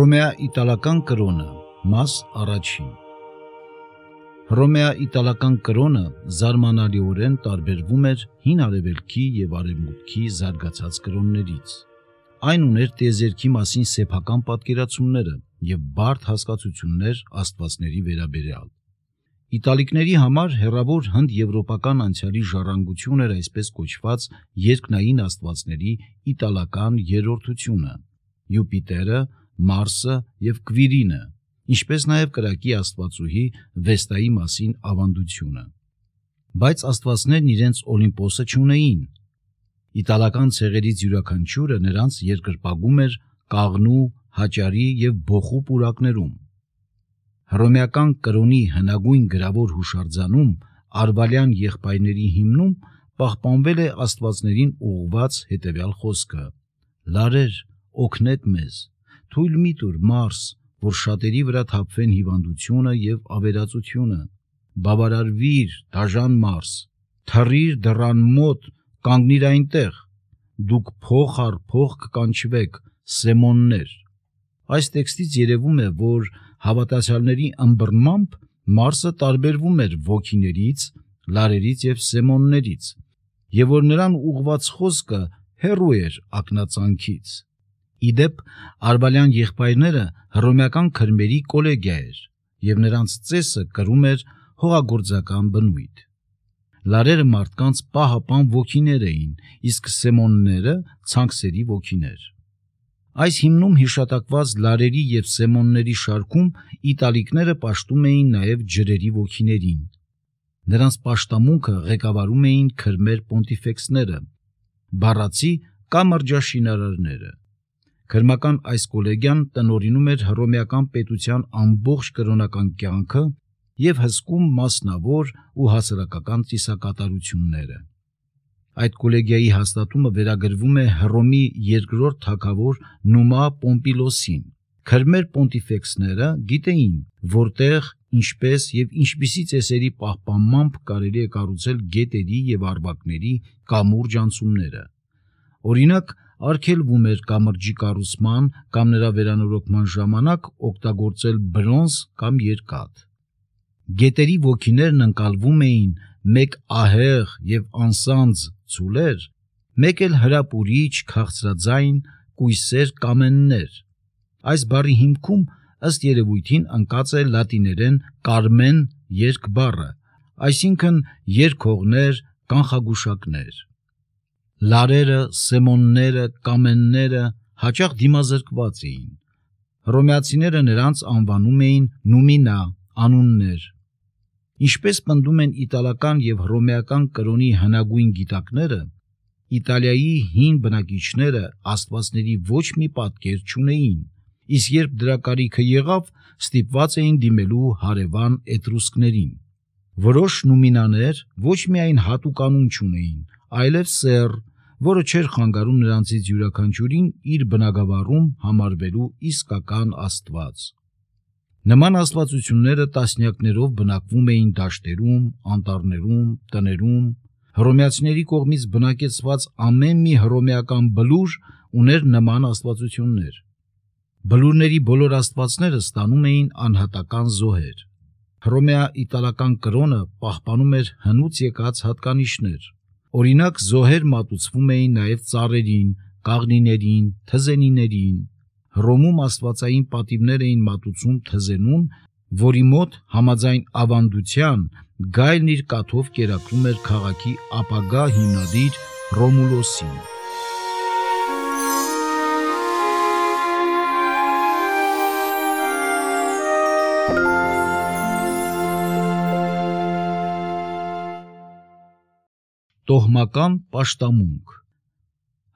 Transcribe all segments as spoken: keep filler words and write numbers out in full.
Հռոմեա-իտալական կրոնը, մաս առաջին։ Հռոմեա-իտալական կրոնը զարմանալիորեն տարբերվում էր հին արևելքի և արևմուտքի զարգացած կրոններից։ Այն ուներ տիեզերքի մասին սեփական պատկերացումները և բարդ հասկացություններ աստվածների վերաբերյալ։ Իտալիկների համար հեռավոր հնդեվրոպական անցյալի ժառանգություն էր այսպես կոչված երկնային աստվածների իտալական երրորդությունը՝ Յուպիտերը, Մարսը և Կվիրինը, ինչպես նաև կրակի աստվածուհի Վեստայի մասին ավանդությունը։ Բայց աստվածներն իրենց Օլիմպոսը չունեին։ Իտալական ցեղերից յուրաքանչյուրը նրանց երկրպագում էր կաղնու, հաճարի և բոխու պուրակներում։ Հռոմեական կրոնի հնագույն գրավոր հուշարձանում արվալյան եղբայրների հիմնում պահպանվել է աստվածներին ուղղված հետևյալ խոսքը. «Լարեր, օգնեք մեզ, թույլ մի տուր, Մարս, որ շատերի վրա թափվեն հիվանդությունը և ավերածությունը, բավարարվիր, դաժան Մարս, թռիր դռան մոտ, կանգնիր այնտեղ, դուք փող առ փող կկանչվեք, սեմոններ»։ Այս տեքստից երևում է, որ հավատացյալների ըմբռնմամբ Մարսը տարբերվում էր ոգիներից, լարերից և սեմոններից, և որ նրան ուղղված խոսքը հեռու էր ակնածանքից։ Ի դեպ, արվալյան եղբայրները հռոմեական քրմերի կոլեգիա էր, և նրանց ծեսը կրում էր հողագործական բնույթ։ Լարերը մարդկանց պահապան ոգիներ էին, իսկ սեմոնները ցանքսերի ոգիներ։ Այս հիմնում հիշատակված լարերի և սեմոնների շարքում իտալիկները պաշտում էին նաև ջրերի ոգիներին։ Նրանց պաշտամունքը ղեկավարում էին քրմեր պոնտիֆեքսները, բառացի կամ մրջաշինարարները։ Քրմական այս կոլեգիան տնօրինում էր հռոմեական պետության ամբողջ կրոնական կյանքը և հսկում մասնավոր ու հասարակական ծիսակատարությունները։ Այդ կոլեգիայի հաստատումը վերագրվում է Հռոմի երկրորդ թագավոր Նումա Պոմպիլոսին։ Քրմեր պոնտիֆեքսները գիտեին, որտեղ, ինչպես և ինչպիսի ծեսերի պահպանմամբ կարելի է կառուցել գետերի և առվակների կամուրջ անցումները։ Օրինակ, արգելվում էր կամրջի կառուցման կամ նրա վերանորոգման ժամանակ օգտագործել բրոնզ կամ երկաթ։ Գետերի ոգիներն ընկալվում էին մեկ ահեղ և անսանձ ձուլեր, մեկ էլ հրապուրիչ, քաղցրաձայն, կույսեր կամեններ։ Այս բառի հիմքում ըստ երևույթին ընկած է լատիներեն կարմեն երգ բառը, այսինքն երգողներ, կանխագուշակներ։ Լարերը, սեմոնները, կամենները հաճախ դիմազրկված էին։ Հռոմեացիները նրանց անվանում էին նումինա, անուններ։ Ինչպես պնդում են իտալական և հռոմեական կրոնի հնագույն գիտակները, Իտալիայի հին բնակիչները աստվածների ոչ մի պատկեր չունեին, իսկ երբ դրա կարիքը եղավ, ստիպված էին դիմելու հարևան էտրուսկներին։ Որոշ նումինաներ ոչ միայն հատուկ անուն չունեին, այլև սեռ, որը չէր խանգարում նրանցից յուրաքանչյուրին իր բնագավառում համարվելու իսկական աստված։ Նման աստվածությունները տասնյակներով բնակվում էին դաշտերում, անտառներում, տներում։ Հռոմեացիների կողմից բնակեցված ամեն մի հռոմեական բլուր ուներ նման աստվածություններ։ Բլուրների բոլոր աստվածները ստանում էին անհատական զոհեր։ Հռոմեա-իտալական կրոնը պահպանում էր հնուց եկած հատկանիշներ։ Օրինակ, զոհեր մատուցվում էին նաև ծառերին, կաղնիներին, թզենիներին։ Հռոմում աստվածային պատիվներ էին մատուցում թզենուն, որի մոտ, համաձայն ավանդության, գայլն իր կաթով կերակրում էր քաղաքի ապագա հիմնադիր Ռոմուլոսին։ Տոհմական պաշտամունք։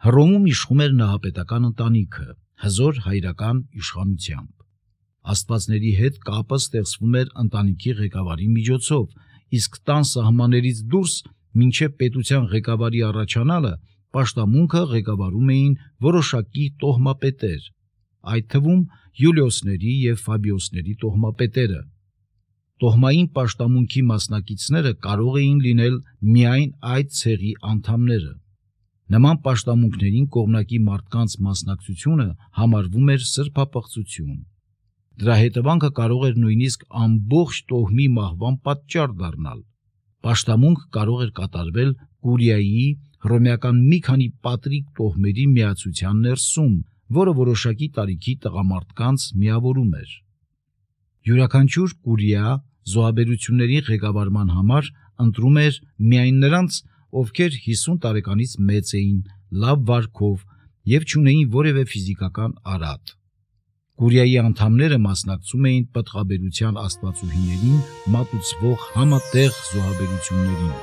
Հռոմում իշխում էր նահապետական ընտանիքը, հզոր հայրական իշխանությամբ։ Աստվածների հետ կապը ստեղծվում էր ընտանիքի ղեկավարի միջոցով, իսկ տան սահմաններից դուրս, մինչև պետության ղեկավարի առաջանալը, պաշտամունքը ղեկավարում էին որոշակի տոհմապետեր, այդ թվում Յուլիոսների և Ֆաբիոսների տոհմապետերը։ Տոհմային պաշտամունքի մասնակիցները կարող էին լինել միայն այդ ցեղի անդամները։ Նման պաշտամունքներին կողմնակի մարդկանց մասնակցությունը համարվում էր սրբապղծություն։ Դրա հետևանքը կարող էր նույնիսկ ամբողջ տոհմի մահվան պատճառ դառնալ։ Պաշտամունք կարող էր կատարվել Կուրիայի հռոմեական մի քանի պատրիկ տոհմերի միացության ներսում, որը որոշակի տարիքի տղամարդկանց միավորում էր։ Յուրաքանչյուր Կուրիա զոհաբերությունների ղեկավարման համար ընտրում էր միայն նրանց, ովքեր հիսուն տարեկանից մեծ էին, լավ վարքով և չունեին որևէ ֆիզիկական արատ։ Կուրիայի անդամները մասնակցում էին պտղաբերության աստվածուհիներին մատուցվող համատեղ զոհաբերություններին։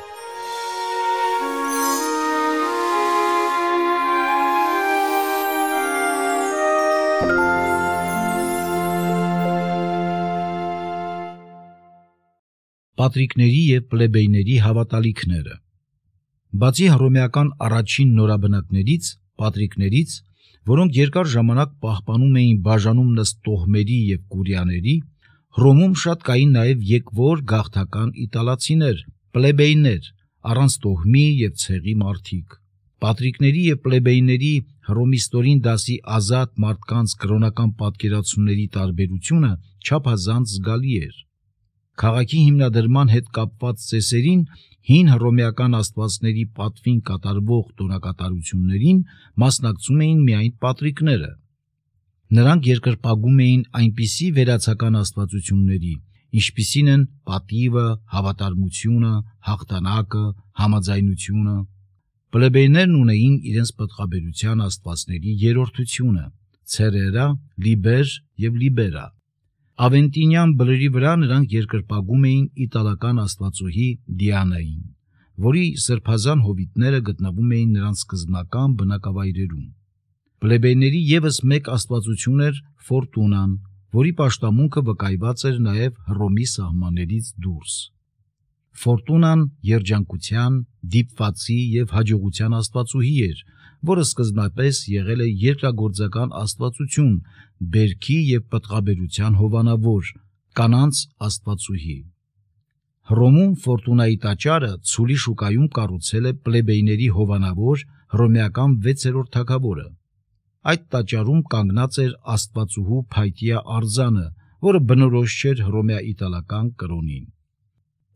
Պատրիկների և պլեբեյների հավատալիքները։ Բացի հռոմեական առաջին նորաբնակներից, պատրիկներից, որոնք երկար ժամանակ պահպանում էին բաժանումն ըստ տոհմերի և կուրիաների, Հռոմում շատ կային նաև եկվոր գաղթական իտալացիներ, պլեբեյներ, առանց տոհմի և ցեղի մարդիկ։ Պատրիկների և պլեբեյների հռոմիստորին դասի ազատ մարդկանց կրոնական պատկերացումների տարբերությունը չափազանց զգալի էր։ Քաղաքի հիմնադրման հետ կապված ծեսերին, հին հռոմեական աստվածների պատվին կատարվող տոնակատարություններին մասնակցում էին միայն պատրիկները։ Նրանք երկրպագում էին այնպիսի վերացական աստվածությունների, ինչպիսին են պատիվը, հավատարմությունը, հաղթանակը, համաձայնությունը։ Պլեբեյներն ունեին իրենց պտղաբերության աստվածների երրորդությունը՝ ցերերա, լիբեր և լիբերա։ Ավենտինյան բլրի վրա նրանք երկրպագում էին իտալական աստվածուհի Դիանային, որի սրբազան հովիտները գտնվում էին նրանց սկզբնական բնակավայրերում։ Պլեբեյների ևս մեկ աստվածություն էր Ֆորտունան, որի պաշտամունքը վկայված էր նաև Հռոմի սահմաններից դուրս։ Ֆորտունան երջանկության, դիպվածի և հաջողության աստվածուհի էր, որը սկզբնապես եղել է երկրագործական աստվածություն, բերքի և պտղաբերության հովանավոր, կանանց աստվածուհի։ Հռոմում Ֆորտունայի տաճարը Ցուլի շուկայում կառուցել է պլեբեյների հովանավոր հռոմեական վեցերորդ թագավորը։ Այդ տաճարում կանգնած էր աստվածուհու փայտյա արձանը, որը բնորոշ չէր հռոմեա-իտալական կրոնին։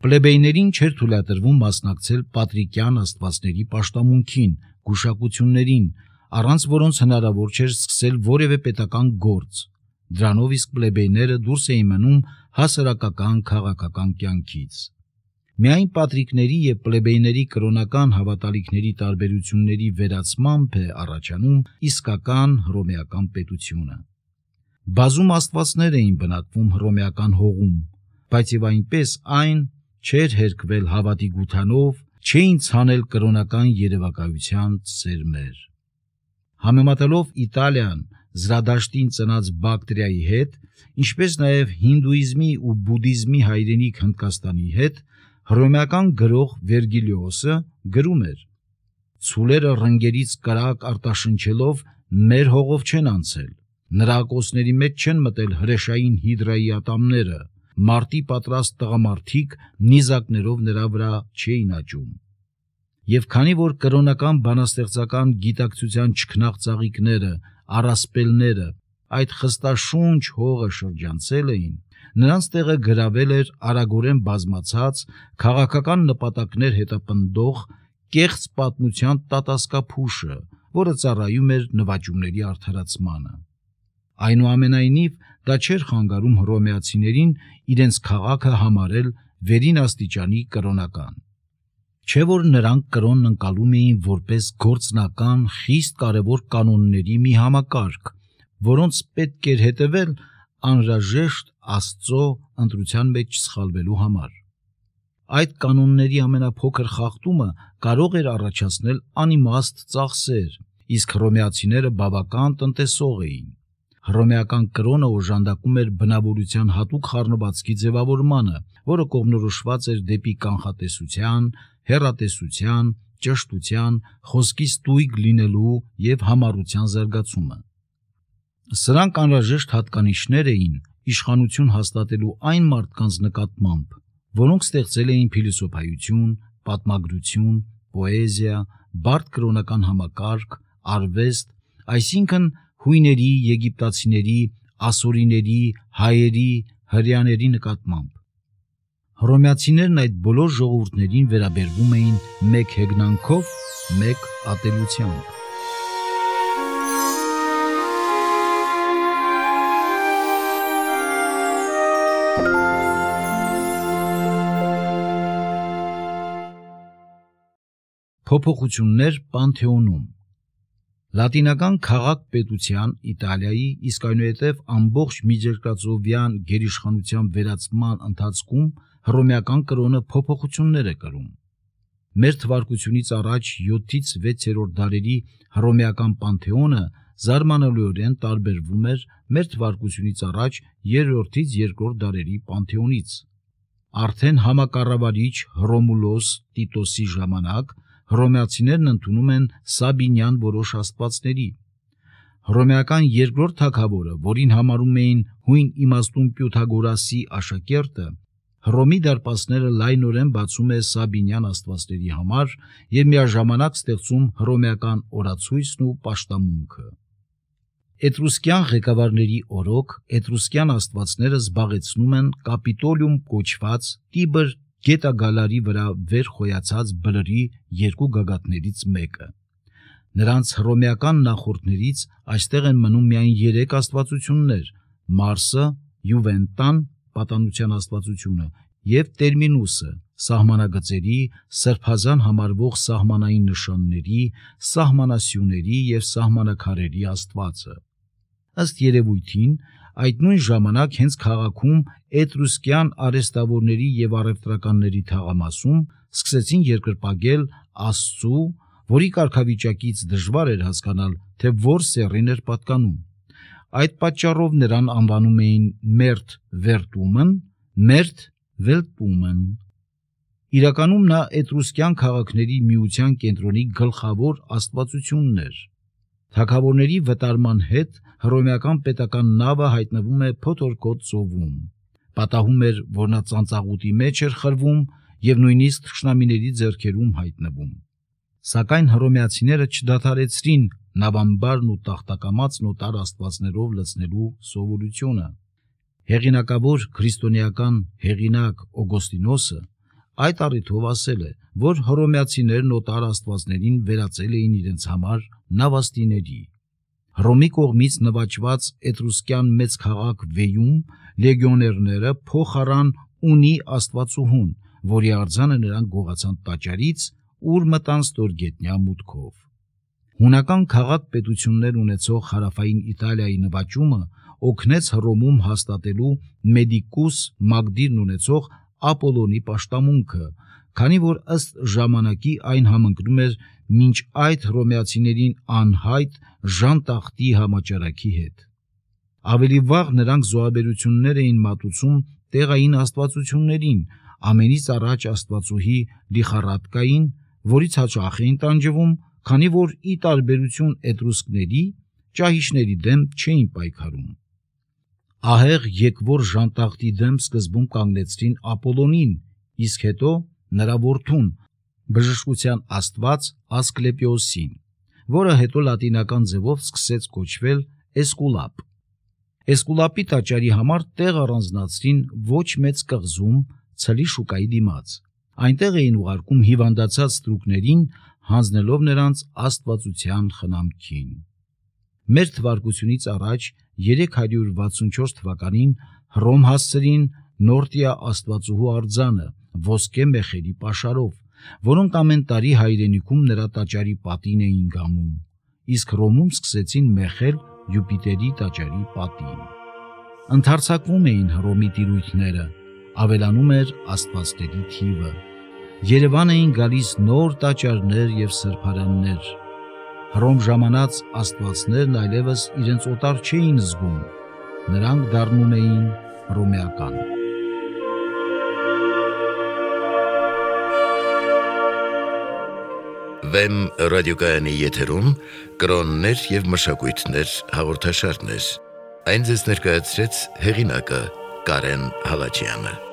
Պլեբեյներին չէր թույլատրվում մասնակցել պատրիկյան աստվածների պաշտամունքին, գուշակություններին, առանց որոնց հնարավոր չէր սկսել որևէ պետական գործ։ Դրանով իսկ պլեբեյները դուրս էին մնում հասարակական քաղաքական կյանքից։ Միայն պատրիկների և պլեբեյների կրոնական հավատալիքների տարբերությունների վերացմամբ է առաջանում իսկական հռոմեական պետությունը։ Բազում աստվածներ էին բնակվում հռոմեական հողում, բայց և այնպես այն չէր հերկվել հավատի գութանով, չէին ցանել կրոնական երևակայության սերմեր։ Համեմատելով Իտալիան Զրադաշտին ծնած Բակտրիայի հետ, ինչպես նաև հինդուիզմի ու բուդդիզմի հայրենիք Հնդկաստանի հետ, հռոմեական գրող Վերգիլիոսը գրում էր. «Ցուլերը ռնգերից կրակ արտաշնչելով մեր հողով չեն անցել, նրա ակոսների մեջ չեն մտել հրեշային հիդրայի ատամները, մարտի պատրաստ տղամարդիկ նիզակներով նրա վրա չէին աճում»։ Եվ քանի որ կրոնական բանաստեղծական գիտակցության չքնաղ ծաղիկները, առասպելները այդ խստաշունչ հողը շրջանցել էին, նրանց տեղը գրավել էր արագորեն բազմացած, քաղաքական նպատակներ հետապնդող կեղծ պատմության տատասկափուշը, որը ծառայում էր նվաճումների արդարացմանը։ Այնուամենայնիվ, դա չէր խանգարում հռոմեացիներին իրենց քաղաքը համարել վերին աստիճանի կրոնական։ Չէ որ նրանք կրոնն ընկալում էին որպես գործնական, խիստ կարևոր կանոնների մի համակարգ, որոնց պետք էր հետևել անհրաժեշտ Աստծո ընտրության մեջ չսխալվելու համար։ Այդ կանոնների ամենափոքր խախտումը կարող էր առաջացնել անիմաստ ծախսեր, իսկ հռոմեացիները բավական տնտեսող էին։ Հռոմեական կրոնը օժանդակում էր բնավորության հատուկ խառնվածքի ձևավորմանը, որը կողմնորոշված էր դեպի կանխատեսության, հեռատեսության, ճշտության, խոսքի ստույգ լինելու և համառության զարգացումը։ Սրանք անհրաժեշտ հատկանիշներ էին իշխանություն հաստատելու այն մարդկանց նկատմամբ, որոնք ստեղծել էին փիլիսոփայություն, պատմագրություն, պոեզիա, բարդ կրոնական համակարգ, արվեստ, այսինքն հույների, եգիպտացիների, ասորիների, հայերի, հրեաների նկատմամբ։ Հռոմեացիներն այդ բոլոր ժողովուրդներին վերաբերվում էին մեկ հեգնանքով, մեկ ատելությամբ։ Փոփոխություններ Պանթեոնում։ Լատինական քաղաք-պետության Իտալիայի, իսկ այնուհետև ամբողջ միջերկրածովյան գերիշխանության վերացման ընթացքում հռոմեական կրոնը փոփոխություններ է կրում։ Մեր թվարկությունից առաջ յոթից վեցերորդ դարերի հռոմեական Պանթեոնը զարմանալիորեն տարբերվում էր մեր թվարկությունից առաջ երրորդից երկրորդ դարերի Պանթեոնից։ Արդեն համակառավարիչ Հռոմուլոս Տիտոսի ժամանակ հռոմեացիներն ընդունում են Սաբինյան որոշ աստվածների։ Հռոմեական երկրորդ թագավորը, որին համարում էին հույն իմաստուն Պյութագորասի աշակերտը, Հռոմի դարպասները լայնորեն բացում է Սաբինյան աստվածների համար եւ միաժամանակ ստեղծում հռոմեական օրացույցն ու պաշտամունքը։ Էտրուսկյան ղեկավարների օրոք էտրուսկյան աստվածները զբաղեցնում են Կապիտոլիում կոչված Տիբր գետագալարի վրա վեր խոյացած բլրի երկու գագաթներից մեկը։ Նրանց հռոմեական նախորդներից այստեղ են մնում միայն երեք աստվածություններ՝ Մարսը, Յուվենտան, պատանության աստվածությունը, եւ Տերմինուսը, սահմանագծերի, սրբազան համարվող սահմանային նշանների, սահմանասյուների եւ սահմանակարերի աստվածը։ Ըստ երևույթին, այդ նույն ժամանակ հենց քաղաքում էտրուսկյան արհեստավորների եւ առևտրականների թաղամասում սկսեցին երկրպագել Աստծու, որի կարգավիճակից դժվար էր հասկանալ, թե որ սեռին էր պատկանում։ Այդ պատճառով նրան անվանում էին Մերթ Վերտումն, Մերթ Վելտումն։ Իրականում նա էտրուսկյան քաղաքների միության կենտրոնի գլխավոր աստվածությունն էր։ Թագավորների վտարման հետ հռոմեական պետական նավը հայտնվում է Փոթորկոտ ծովում։ Պատահում էր, որ նա ծանծաղուտի մեջ էր խրվում եւ նույնիսկ թշնամիների ձեռքերում հայտնվում։ Սակայն հռոմեացիները չդադարեցրին նավամբարն ու տախտակամած նոտար աստվածներով լցնելու սովորությունը։ Հեղինակավոր քրիստոնեական հեղինակ Օգոստինոսը այդ առիթով ասել է, որ հռոմեացիներն նոտար աստվածներին վերածել էին իրենց համար նավաստիների։ Հռոմի կողմից նվաճված էտրուսկյան մեծ քաղաք Վեյում լեգիոներները փոխարան ունի աստվածուհուն, որի արձանը նրանք գողացան տաճարից, ուր մտան ստորգետնյա մուտքով։ Հունական քաղաք-պետություններ ունեցող հարավային Իտալիայի նվաճումը օգնեց Հռոմում հաստատելու Մեդիկուս Մագդիրն ունեցող Ապոլոնի պաշտամունքը, քանի որ ըստ ժամանակի այն համընկնում էր մինչ այդ հռոմեացիներին անհայտ Ժան Տախտի համաճարակի հետ։ Ավելի վաղ նրանք զոհաբերություններ էին մատուցում տեղային աստվածություններին, ամենից առաջ աստվածուհի Լիխարատկային, որից հաճախ էին տանջվում, քանի որ ի տարբերություն էտրուսկների ճահիճների դեմ չէին պայքարում։ Ահեղ եկվոր Ժան Տախտի դեմ սկզբում կանգնեցրին Ապոլոնին, իսկ հետո նրա որդուն, բժշկության աստված Ասկլեպիոսին, որը հետո լատինական ձևով սկսեց կոչվել Էսկուլապ։ Էսկուլապի տաճարի համար տեղ առանձնացրին ոչ մեծ կղզում ցլի շուկայի դիմաց։ Այնտեղ էին ուղարկում հիվանդացած ստրուկներին, հանձնելով նրանց աստվածության խնամքին։ Մեր թվարկությունից առաջ երեք հարյուր վաթսունչորս թվականին Հռոմ հասցրին Նորտիա աստվածուհու արձանը ոսկե մեխերի պաշարով, որոնք ամեն տարի հայրենիքում նրա տաճարի պատին էին գամում, իսկ Հռոմում սկսեցին մեխել Յուպիտերի տաճարի պատին։ Ընդարձակվում էին Հռոմի տիրույթները, ավելանում էր աստվածների թիվը։ Երևան էին գալիս նոր տաճարներ եւ սրբարաններ։ Հռոմ ժամանած աստվածներն այլևս իրենց օտար չէին զգում, նրանք դառնում էին հռոմեական։ Վեմ ռադիոկայանի եթերում կրոններ եւ մշակույթներ հաղորդաշարներ։ Այն ձեզ ներկայացրեց հեղինակը Կարեն Հալաջյանը։